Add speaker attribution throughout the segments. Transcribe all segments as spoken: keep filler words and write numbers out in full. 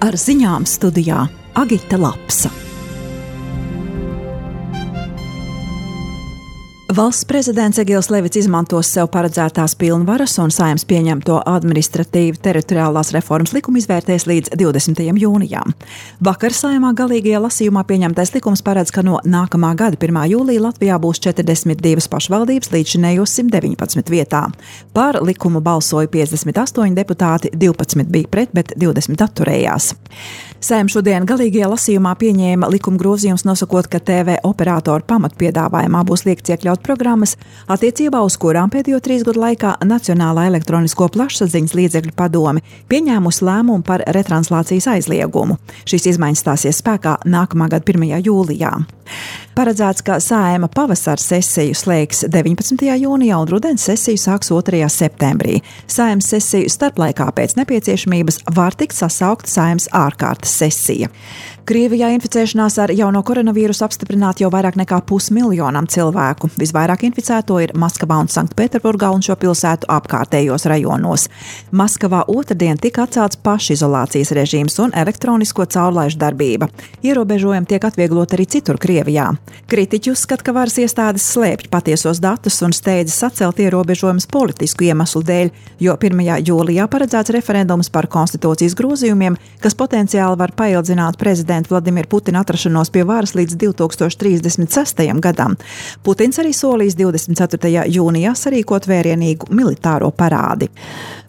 Speaker 1: Ar ziņām studijā Agita Lapsa. Valsts prezidents Egils Levits izmantos sev paredzētās pilnvaras un Saeimas pieņemto administratīvi teritoriālās reformas likumu izvērtēs līdz divdesmitajam jūnijam. Vakar Saeimā galīgajā lasījumā pieņemtais likums paredz, ka no nākamā gada pirmā jūlija Latvijā būs četrdesmit divas pašvaldības līdzinējos simt deviņpadsmit vietā. Par likumu balsoja piecdesmit astoņi deputāti, divpadsmit bija pret, bet divdesmit atturējās. Saeima šodien galīgajā lasījumā pieņēma likuma grozījums, nosakot, ka T V operatoru pamatpiedāvājumā būs liekts iekļaut programmas, attiecībā uz kurām pēdējo trīs gadu laikā Nacionālā elektronisko plašsaziņas līdzekļu padome pieņēmusi lēmumu par retranslācijas aizliegumu. Šīs izmaiņas stāsies spēkā nākamā gada pirmajā jūlijā. Paredzēts, ka Saeima pavasara sesiju slēgs deviņpadsmitajā jūnijā un rudens sesiju sāks otrajā septembrī. Saeimas sesiju starplaikā pēc nepieciešamības var tikt sasaukt Saeimas ārkārtas sesija. Krievijā inficēšanās ar jauno koronavīrusu apstiprināti jau vairāk nekā pusmiljonam cilvēku. Visvairāk inficēto ir Maskavā un Sanktpēterburgā un šo pilsētu apkārtējos rajonos. Maskavā otrdien tika atcelts pašizolācijas režīms un elektronisko caurlaižu darbība. Ierobežojumi tiek atvieglot arī citur Krievijā. Kritiķi uzskata, ka varas iestādes slēpj patiesos datus un steidzas atcelt ierobežojumus politisku iemeslu dēļ, jo pirmajā jūlijā paredzēts referendums par konstitūcijas grozījumiem, kas potenciāli var paildzināt prezidenta Vladimira Putina atrašanos pie varas līdz divi tūkstoši trīsdesmit sestajam gadam. Putins arī solījis divdesmit ceturtajā jūnijā sarīkot vērienīgu militāro parādi.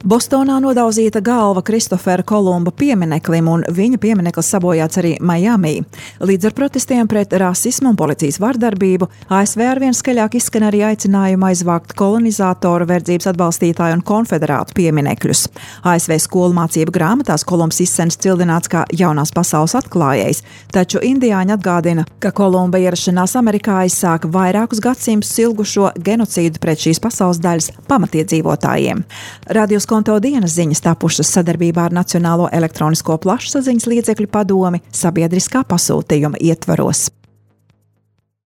Speaker 1: Bostonā nodauzīta galva Kristofera Kolumba piemineklim, un viņa piemineklis sabojāts arī Miami. Līdz ar protestiem pret rasismu un policijas vardarbību A S V arvien skaļāk izskan arī aicinājuma aizvākt kolonizātoru, verdzības atbalstītāju un konfederātu pieminekļus. A S V skolu mācību grāmatās Kolumbs izsens cildināts kā jaunās pasaules atklājējs, taču indiāņi atgādina, ka Kolumba ierašanās Amerikā aizsāka vairākus gadsimtus ilgušo genocīdu pret šīs pasaules daļas pamatiedzīvotājiem. Radio Skonto dienas ziņas tapušas sadarbībā ar Nacionālo elektronisko plašsaziņas līdzekļu padomi sabiedriskā pasūtījuma ietvaros.